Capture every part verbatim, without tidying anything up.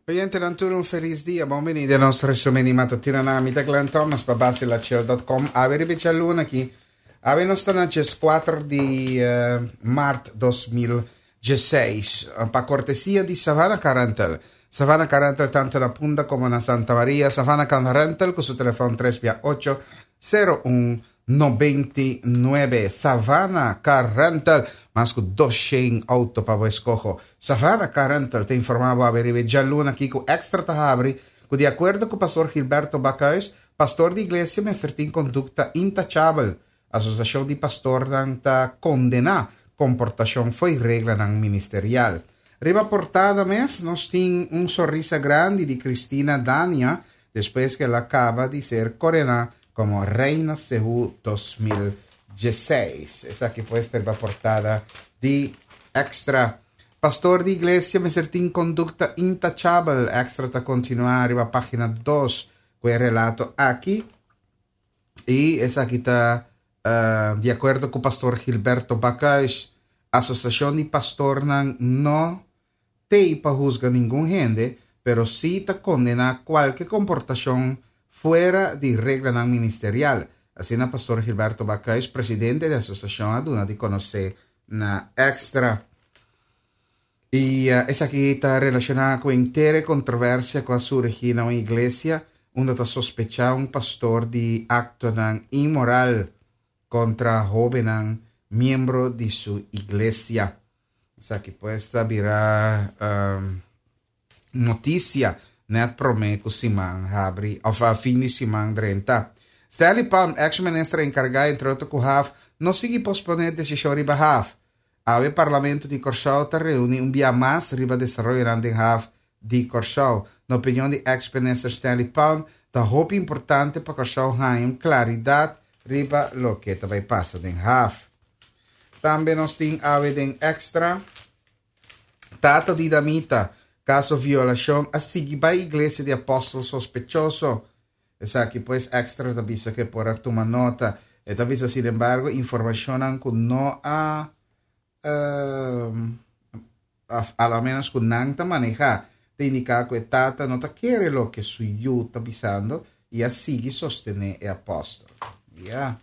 Oyentenan tur un felis dia, bon bini den nos resumen di matutino na mi ta Glenn Thomas pa Basilachel punto com. Awe riba djaluna aki, awe nos ta na dieskuater di uh, mart dos mil diesseis, pa kortesia di Savannah Car Rental. Savannah Car Rental tantu na Punda komo na Santa Maria. Savannah Car Rental ku su telefòn tres ocho sero un nobenta i nuebe. Savannah Car Rental, mas ku dosshen outo pa bo eskoho. Savannah Car Rental ta informá awe riba djaluna aki ku Extra ta habri, ku di akuerdo ku pastor Gilberto Bakhuis, pastor di iglesia mester tin kondukta intachabel. Asosiashon di Pastornan ta kondená komportashon fo'i reglanan ministerial. Riba portada mes, nos tin un sonrisa grandi di Cristina Dania, despues ku el a kaba di ser koroná komo Reina Seú dos mil diesseis. Esaki ta riba portada di Extra. Pastor di iglesia mester tin kondukta intachabel. Extra ta kontinuá riba página dos ku e relato aki. I esaki ta uh, di akuerdo ku pastor Gilberto Bakhuis, Asosiashon di Pastornan no t'ei pa husga ningun hende, pero sí ta kondená kualke komportashon fuera di reglanan ministerial. Asina pastor Gilberto Bakhuis, presidente di e asosiashon, a duna di konosé na Extra. I uh, esaki ta relashoná ku henter e kontroversia ku a surgi na un iglesia, unda ta sospechá un pastor di aktonan inmoral kontra hóbennan miembro di su iglesia. Esaki pues a bira um, notisia net promé ku siman habri, òf a fin di siman drenta. Stanley Palm, ex-minister enkargá entre otro ku haf, no sigui posponé desishon riba haf. Awe Parlamento di Kòrsou ta reuní un dia mas riba desaroyo den haf di Kòrsou. Na opinion di ex-minister Stanley Palm, ta hopi importante pa Kòrsou haña un klaridat riba loke ta bai pasa den haf. Tambe nos tin awe den Extra. Tata di damita, kaso violashon, a sigui bai iglesia di apòstel sospechoso. Esaki pues Extra ta bisa ku por a tuma nota. E ta bisa, sin embargo, informashon ku no a uh, a menos ku nan ta manehá, ta indiká ku e tata no ta kere loke su yu ta bisando i a sigui sostené e apòstel. Yeah.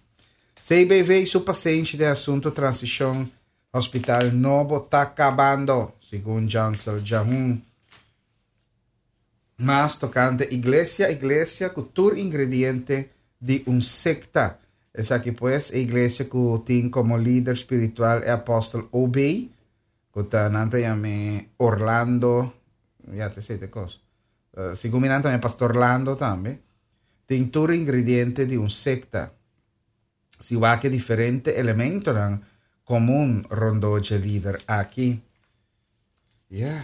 C B V su pasenshi den asuntu transishon hospital nobo ta kabando, segun Jansel Jahun. Mas tokante iglesia, iglesia ku tur ingrediente di un sekta. Esaki pues e iglesia ku tin komo lider spiritual e apòstel O B, ku ta nan ta yam'é Orlando, ya te sei kos. Uh, segun mi tambe Pastor Orlando tambe. Tin tur ingrediente di un sekta. Si wak diferente elementonan komun rondó e lider aki. Yeah.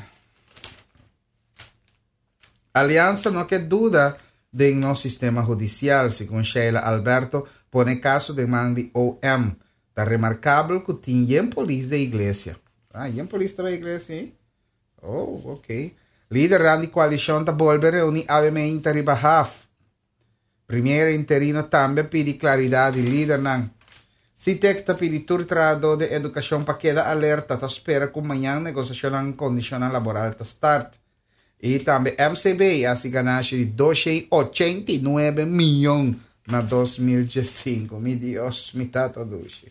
Aliansa no ke duda den nos sistema hudisial, segun Sheila Alberto, pone kaso den man di O M. Ta remarkabel ku tin yen polis den iglesia. Ah, yen polis den iglesia, eh? Oh, ok. Lider di koalishon ta bolbe reuní awe riba haf. Premier interino tambe a pidi klaridat di lidernan. Sitek ta pidi tur trahadó di edukashon pa keda alerta, ta spera ku mañan negosiashon kondishon laboral ta start. I tambe M C B a hasi ganashi di dosshen ochenta i nuebe mion na dos mil diesinku. Mi Dios, mi tata dushi.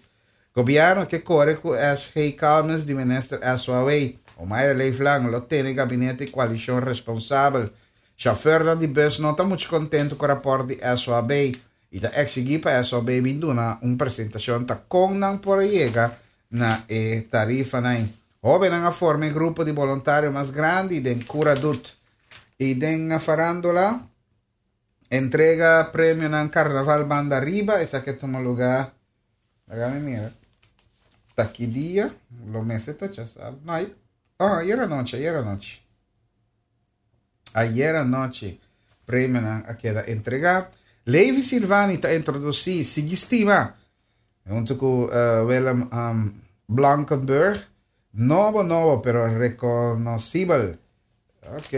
Gobièrnu ke kore ku S G Calmes di minister S O A W. Omayra Leeflang lo tene gabinete di koalishon responsabel. Shofùr di bùs no ta muchu kontentu ku e rapòrt di S O A B i ta eksigí pa S O A B bin duna un presentashon ta kon nan por yega na e tarifanan. Hóbennan a forma grupo di boluntario mas grandi den CuraDoet. I den farándula, entrega premio na Karnaval Banda Riba, esaki a tuma lugá. Laga mira. Ta ki dia, lo mester ta sabe. No, ah, ayera nochi, ayera nochi. Ayera nochi, premio a keda entregá. Levi Silvani ta introdusí Sigui Stima, huntu ku uh, Willem um, Blankenburg. Nobo, nobo, pero rekonosibel. Ok.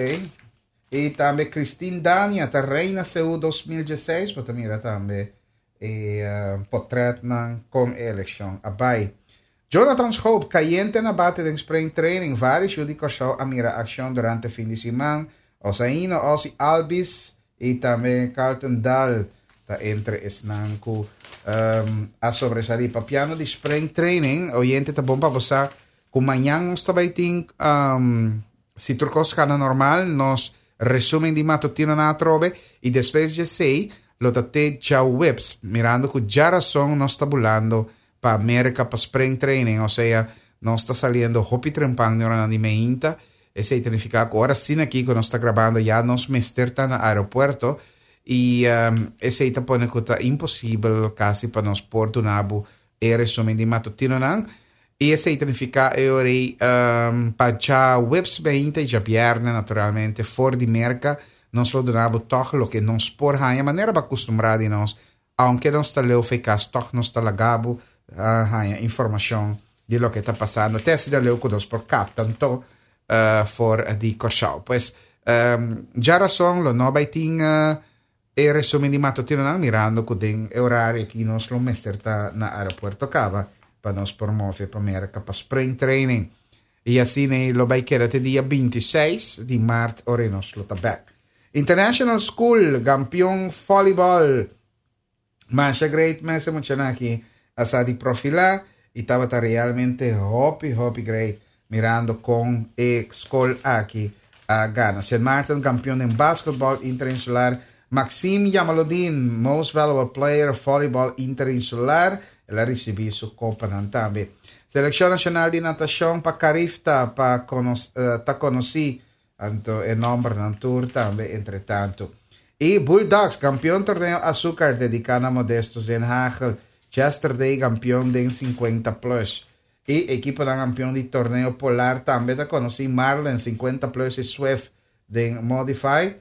I tambe Christine Dania, ta Reina Seú dos mil diesseis, pa mira tambe e uh, portretnan kon elekshon a bai. Jonathan Schoop, kayente na bate den spring training. Vários di Kòrsou a mira akshon durante fin di siman. Osaino Osi Albis i tambe Carlton Daal ta entre esnan ku um, a sobresalí. Papiando di spring training, oyente, ta bon pa bo sa ku mañan nos tambe tin, um, si tur kos kana normal, nos resumen di matutino na atrobe i despues di esei lo ta te djaweps, mirando ku djarason nos ta bulando pa Amérika pa spring training, o sea, nos ta saliendo hopi trempan di ora di mainta. Esei ta nifiká ku ora asina aki ku nos ta grabando ya nos mester ta na aeropuerto i um, esei ta pone ku ta imposibel kasi pa nos por duna bo e resumen di matutino nan. I esei ta nifiká e ora um, pa djaweps mainta i djabièrnè naturalmente for di Merka nos lo duna bo toch loke nos por haña, manera bo a kustumbrá di nos, aunke nos ta leu fo'i kas, toch nos ta laga bo uh, haña informashon di loke ta pasando te asina leu ku nos por kapta anto uh, for di Kòrsou. Pues um, djarason lo no bai tin uh, e resumen di matutino nan, mirando ku den e orario aki nos lo mester ta na aeropuerto kaba pa nos por move pa Merka pa spring training. I asina lo bai keda te dia bintiseis di mart, ora nos lo ta back. International School, kampeon volleyball. Masha great mes muchanan aki a sa di profilá i tabata realmente hopi hopi great mirando kon e skol aki a gana. Saint Maarten kampeon den basketball interinsular. Maxime Jamaludin, most valuable player volleyball interinsular. El a risibí su kopa tambe. Selekshon nashonal di natashon pa Carifta pa konos, uh, ta konosí anto e nòmbernan tur tambe entre tantu. I Bulldogs, kampeon torneo Azucar dediká na Modesto Zenhagel. Chester Day, kampeon den sinkuenta plus. I ekipo di kampeon di torneo Polar tambe ta konosí. Marlin sinkuenta plus i Swift den Modify.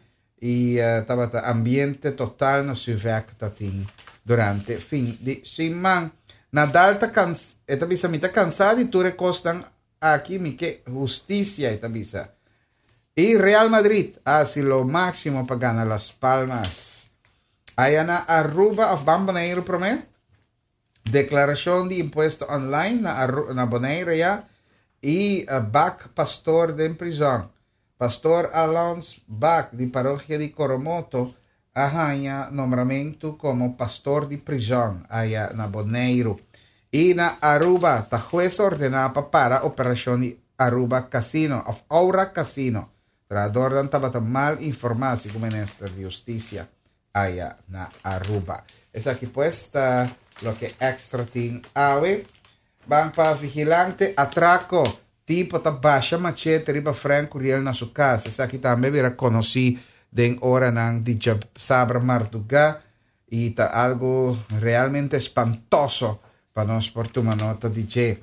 I uh, tabata ambiente total na Suvek tatin durante fin di siman. Nadal ta kans, e ta bisa: "Mi ta kansá di tur e kosnan aki, mi ke hustisia", e ta bisa. I Real Madrid hasi lo máksimo pa gana Las Palmas. Aya na Aruba òf ban Boneiru promé? Deklarashon di impuesto online na, Aru, na Bonaire ya i uh, Bak pastor den prizòn. Pastor Alons Bak di parokia di Coromoto a haña nombramentu komo pastor di prizòn aya na Boneiru. I na Aruba, ta hues a ordená pa para operashon di Aruba Casino, òf Aura Casino. Trahadónan tabata mal informá, segun minister di Hustisia aya na Aruba. Esaki pues ta loke Extra tin awe. Ban pa Vigilante, atrako. Tipo ta basha machete riba Frank Curiel na su kas. Esaki tambe a bira konosí den oranan di djasabra mardugá i ta algu realmente espantoso pa nos por tuma nota di dje.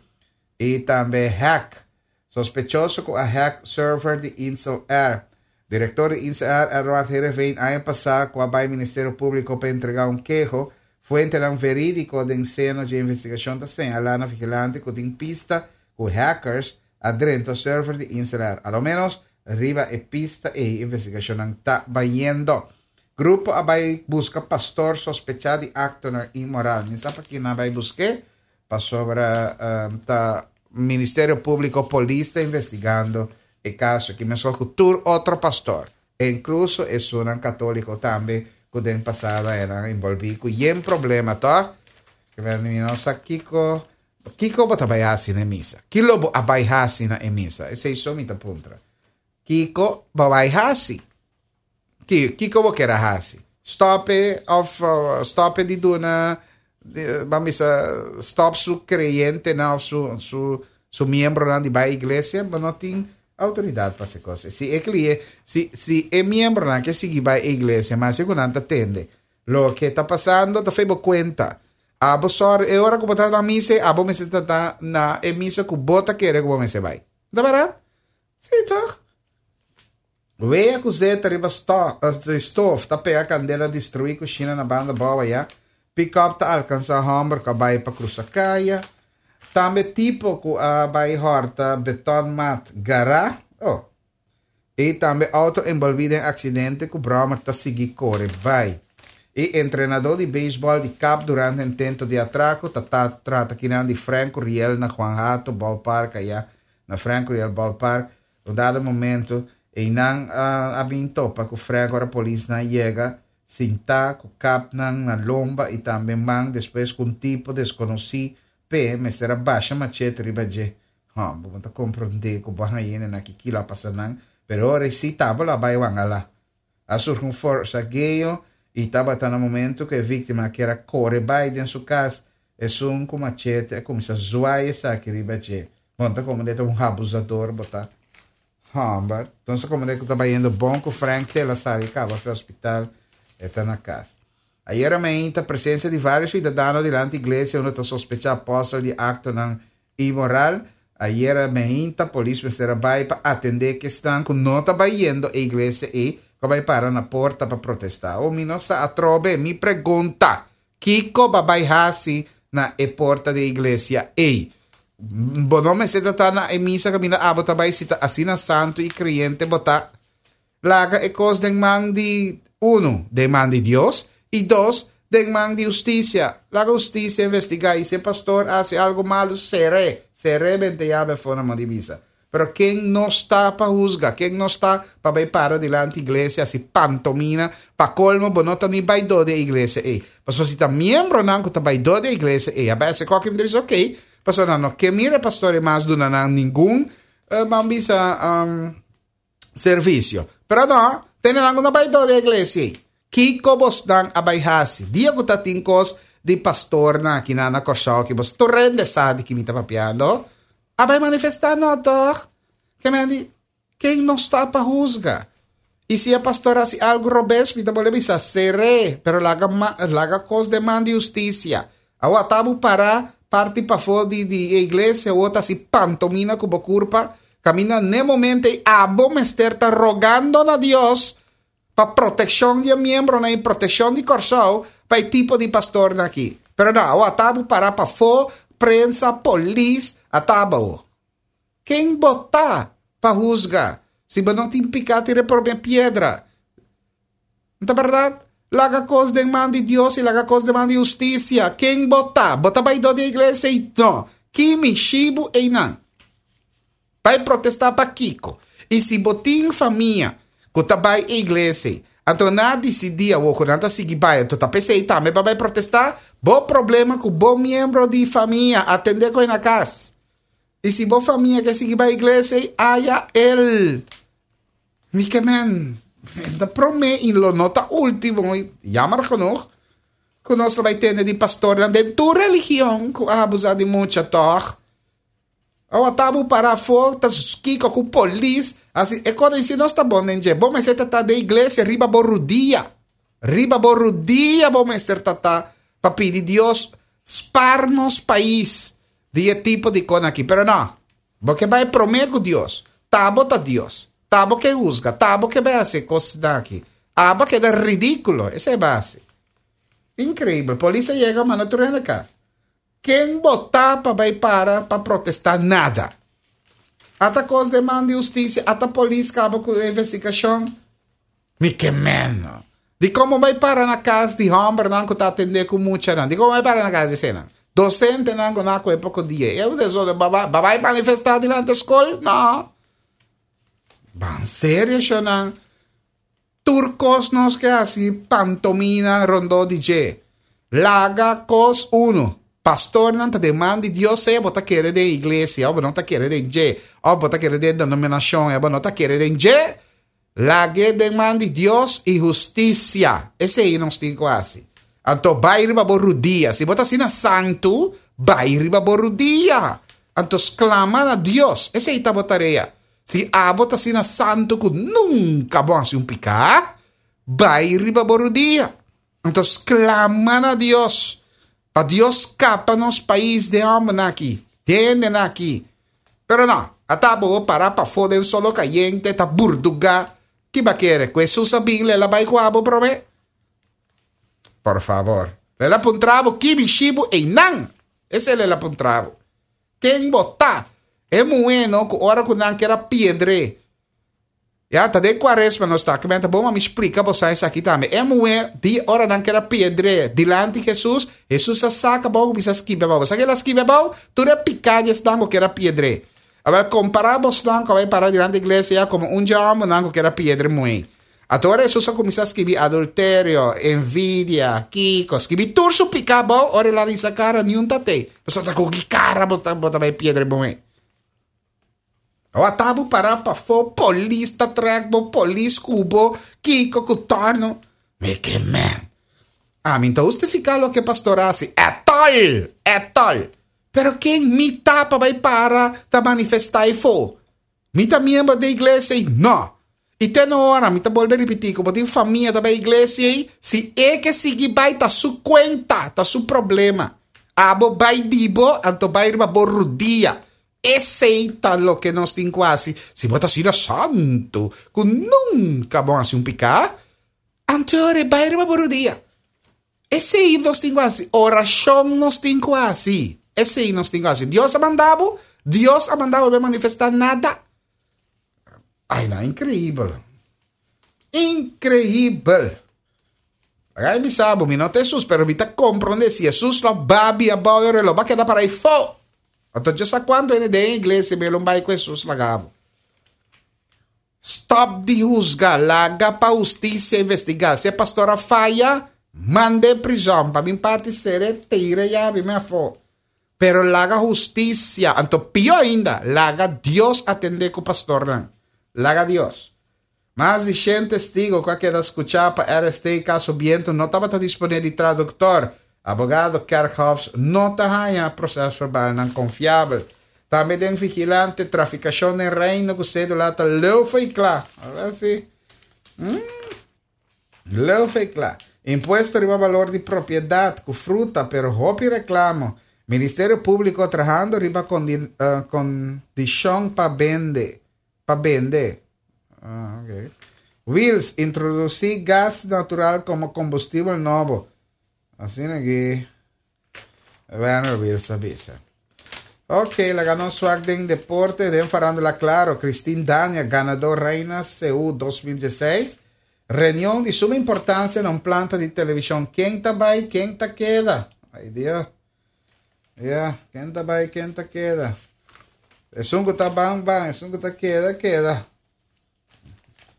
I tambe hack. Sospechoso ku a hack server di Insel Air. Direktor di Insel Air, Edward Heerenveen, aña pasá ku a bai Ministerio Públiko pa entregá un keho. Fuentenan verídiko den seno di investigashon ta señalá na Vigilante ku tin pista ku hackers a drenta server di Insel Air. A lo menos riba e pista e investigashon ta bayendo. Grupo a bai buska pastor sospechá di aktonan inmoral. Mi sa pa ki nan a bai busk'é, pasobra um, ta Ministerio Públiko, polis ta investigando e kaso aki meskos ku tur otro pastor. Inkluso esunnan katóliko tambe ku den pasado a envolví ku yen problema, ta? Ku mi no sa kiko kiko bo ta bai hasi na misa. Kiko bo a bai hasi na misa? Esei so mi ta puntra. Kiko bo bai hasi? Kiko bo ker a hasi? Stop òf uh, stop di duna, ban bisa, stop su kreyentenan, su su su miembronan di bai iglesia, bo no tin outoridat pa hasi kos. Si e kliente, si si e miembronan ke sigui bai iglesia, mas ku nan ta tende loke ta pasando, ta fo'i bo kuenta. Abo sorry, e ora ku bo ta na misa, abo mester ta na e misa ku bo ta kere ku bo mester bai. Ta bèrdat? Si, toch? Wea ku zeta riba stof ta pega kandela, destruí kushina na Banda Abou ya. Pick-up ta alkansá hòmber ku bai pa krusa kaya. Tambe tipo ku a bai hòrta betonmat gará. Oh. I tambe outo envolví den aksidente ku bròmer ta sigui kore bai. I entrenadó di beisbòl di kap durante intento di atrako. Ta, ta trata akinan di Frank Curiel na Juan Hato Ballpark aya na Frank Curiel Ballpark. Un dado momento Einan a bin topa ku Frank ora polisnan yega, sintá ku kapnan na lomba i tambe man despues ku un tipo deskonosí p'e mester a basha machete riba dje. Hò, bo no ta komprondé ku bo a haña hende na ki kila a pasa nan, pero ora esei tabata lo a bai wangala. A surgi un forsageo i tabata na momento ku e víktima kier a kore bai den su kas, esun ku machete a kuminsá zwai esaki riba dje. Bo no ta komprondé ta un abusador bo ta. Hòmber, nos ta komprondé ku ta bayendo bon ku Frank te el a sali kaba for hospital, e ta na kas. Ayera mainta presensia di vários suidadano dilanti iglesia unda ta sospechá apòstel di aktonan inmoral. Ayera mainta polis mester a bai pa atendé kesnan ku no ta bayendo e iglesia ei ku a bai para na porta pa protestá. O mi no sa atrobe, mi pregunta, kiko ba bai hasi na e porta di e iglesia ei? Bo no mester ta ta na e misa kaminda abo ta bai si ta asina santu i kreyente bo ta. Laga e kos den man di, unu, den man di Dios, i dos, den man di hustisia. Laga hustisia investigá i si e pastor hasi algu malu, ser'é, ser'é bente yabe afó na man di misa. Pero ken nos ta pa husga? Ken nos ta pa bai para dilanti iglesia hasi pantomina? Pa kolmo bo no ta ni baidó di e iglesia ei. Pasobra si ta miembronan ku ta baidó di e iglesia ei a bai hasi koke mi ta bisa okey, pasobra nan no ke mira e pastor ei mas duna nan ningun ban bisa servisio. Pero no, tene nan ku no baidó di e iglesia ei. Kiko bosnan a bai hasi? Dia ku ta tin kos di pastornan aki nan na Kòrsou ki bos tur hende sa di ki mi ta papiando. A bai manifestá no tòg? Ke men di, Ken nos ta pa husga? I si e pastor hasi algu robes, mi ta bolbe bisa, Ser'é, pero laga laga kos den man di hustisia. Awor ata bo pará parti pafó di di e iglesia, awor ta hasi pantomina ku bo kurpa, kaminda n'e momento ei abo mester ta rogando na Dios pa protekshon di e miembronan i protekshon di Kòrsou pa e tipo di pastornan aki. Pero no, awor ata bo pará pafó, prensa, polis, ata bo. Ken bo ta pa husga? Si bo no tin piká tira e promé piedra. No ta bèrdat? Laga kos den man di Dios i laga kos den man di hustisia. Ken bo ta? Bo ta baidó di e iglesia ei? No. Ki mishi bo einan? Bai protestá pa kiko? I si bo tin famia ku ta bai e iglesia ei, anto nan a disidí awor ku nan ta sigui bai, anto ta p'esei tambe bo a bai protestá? Bo problema ku bo miembro di famia, atendé ku e na kas. I si bo famia ke sigui bai iglesia ei, aya el. Mi ke men, ta promé i lo no ta último, jammer genoeg, ku nos lo bai tende di pastornan den tur religion ku a abusá di mucha, tòg? Awa ta bo para afó ta kiko ku polis hasi e kos si nos ta bon den dje bo mester ta ta den iglesia riba bo rudia riba bo rudia bo mester ta ta pa pidi Dios spar nos pais di e tipo di kon aki pero no bo ke bai prome ku Dios ta bo ta Dios ta bo ke husga ta bo ke bai hasi e kosnan aki abo a keda ridikulo esei bai hasi inkreibel polis a yega manda tur hende kas. Ken bo ta pa bai para pa protesta nada? Ata kos den man di hustisia, ata polis kaba ku e investigashon. Mi ke meno. Dikon bo bai para na kas di hòmbernan ku ta atendé ku muchanan? Dikon bo bai para na kas di esenan? Dosentenan ku nan a kohe poko dia. E desorden, bo bai manifestá dilanti skol? No. Ban serio, shonnan. Tur kos nos ke hasi pantomina rondó di dje. Laga kos unu. Pastornan ta den man di Dios sea bo ta kere den iglesia òf bo no ta kere den dje, òf bo ta kere den denominashon òf bo no ta kere den dje, lag'é den man di Dios i hustisia. Esei nos tin ku hasi. Anto bai riba bo rudia. Si bo ta asina santu, bai riba bo rudia. Anto sklama na Dios. Esei ta bo tarea. Si abo ta asina santu ku nunka bo hasi un piká, bai riba bo rudia. Anto sklama na Dios pa Dios skapa nos pais den hòmbernan aki, den hendenan aki. Pero no, ata bo para pafó den solo kayente ta burdugá. Ki bo a kere? Ku Hesus a bin lela bai ku abo promé? Por fabor. Lela puntra bo ki bishi bo einan. Esei lela puntra bo. Ken bo ta? E muhé no ku ora ku nan kier a piedr'é. Ya, ta den kuaresma nos ta. Kimen ta bon pa mi splika bosa esaki tambe. E muhé di ora nan kier a piedr'é dilanti Hesus, Hesus a saka abou ku bisa skibi abou. Bo sa ke el a skibi abou? Tur e piká di esnan ku kier a piedr'é. Awor kompará bosnan ku a bai para dilanti iglesia komo un dje hòmbernan ku ker a piedra e muhé. Anto ora Hesus a kuminsá skibi adulterio, envidia, kiko, skibi tur su piká abou, ora el a risa kara niun ta tei. Pasobra ta ku ki kara bo ta bo ta bai piedra e muhé? Awa ta bo pará pafó, polis ta trèk bo, polis ku bo, kiko ku tòrno. Mi ke men. Ami no ta hustifiká loke pastor a hasi at all, at all. Pero ken mi ta pa bai para ta manifestá eifó? Mi ta miembro di e iglesia ei? No. I te no ora, mi ta bolbe ripití, ku bo tin famia ta bai iglesia ei, si e ke sigui bai ta su kuenta, ta su problema. Abo bai di bo, anto bai riba bo rudia. Esei ta loke nos tin ku hasi. Si bo ta asina santu ku nunka bo hasi un piká, anto e ora e bai riba bo rudia. Esei nos tin ku hasi. Orashon nos tin ku hasi. Esei nos tin ku hasi. Dios a manda bo, Dios a manda bo bai manifestá nada. Ai no, inkreibel. Inkreibel. Laga mi bisa bo, mi no ta Hesus, pero mi ta komprondé si Hesus lo babia abou e ora lo ba keda para ei fo. Anto Dios sa kuantu hende den iglesia mi lo bai ku Hesus laga bo. Stop di husga, laga pa hustisia investigá. Si e pastor a faya, mand'é prizòn. Pa mi parti ser'é tira yabi mi afó. Pero laga hustisia, anto pió ainda, laga Dios atendé ku pastornan. Laga Dios. Mas di shen testigo ku a keda skuchá pa R S T kaso Biento no tabata disponé di traduktor. Abogado Kerkhoffs no ta haña prosèsverbalnan konfiabel. Tambe den Vigilante, trafikashon den Reino ku sédula ta leu fo'i kla. Awor si. Mm. Leu fo'i kla. Impuesto riba balor di propiedat ku fruta, pero hopi reklamo. Ministerio Públiko trahando riba kondi, uh, kondishon pa bende. Pa bende. Ah, okay. Wiels, introdusí gas natural komo kombustibel nobo. Asina aki. Bueno, Wiels a bisa. Ok, laga nos wak den deporte, den farándula klaro. Christine Dania, ganadó Reina Seú dos mil diesseis. Reunion di suma importansia na un planta di televishon. Ken ta bai, ken ta keda? Ai Dios. Ja, ken ta bai, ken ta keda? Esun ku ta ban, ban, esun ku ta keda, keda.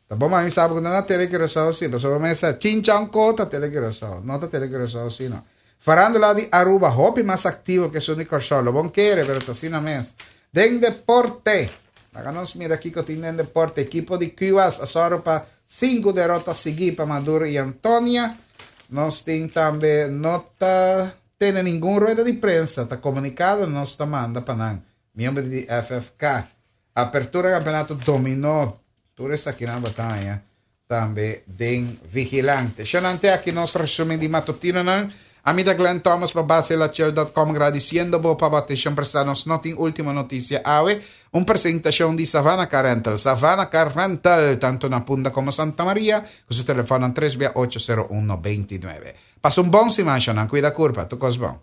Ta bon, mas sabe ku no na Tele Curaçao sí, pasobra mesa Chinchan ko ta Tele Curaçao, no ta Tele Curaçao sí no. Farándula di Aruba, hopi mas aktivo ku esun di Kòrsou, lo bo n' kere, pero ta asina mes. Den deporte, laga nos mira kiko tin den deporte, ekipo di Cuba a sòru pa sinku derota siguí pa Maduro i Antonia. Nos tin tambe no ta tene ningun rueda di prensa, ta komunikado nos ta manda pa nan. Miembro di F F K. Apertura kampeonato dominó. Tur esaki nan bataya. Tambe den Vigilante. Shonante aki nos resumen di matutinonan. Ami ta Glenn Thomas pa base la chel punto com, gradisiendo bo pa atenshon prestá. Nos no tin último notisia awe. Un presentashon di Savannah Car Rental. Savannah Car Rental, tantu na Punda komo Santa Maria, ku su telefòn tres ocho sero un nove nuebe. Pasa un bon siman, shonnan. Kuida kurpa. Tur kos bon.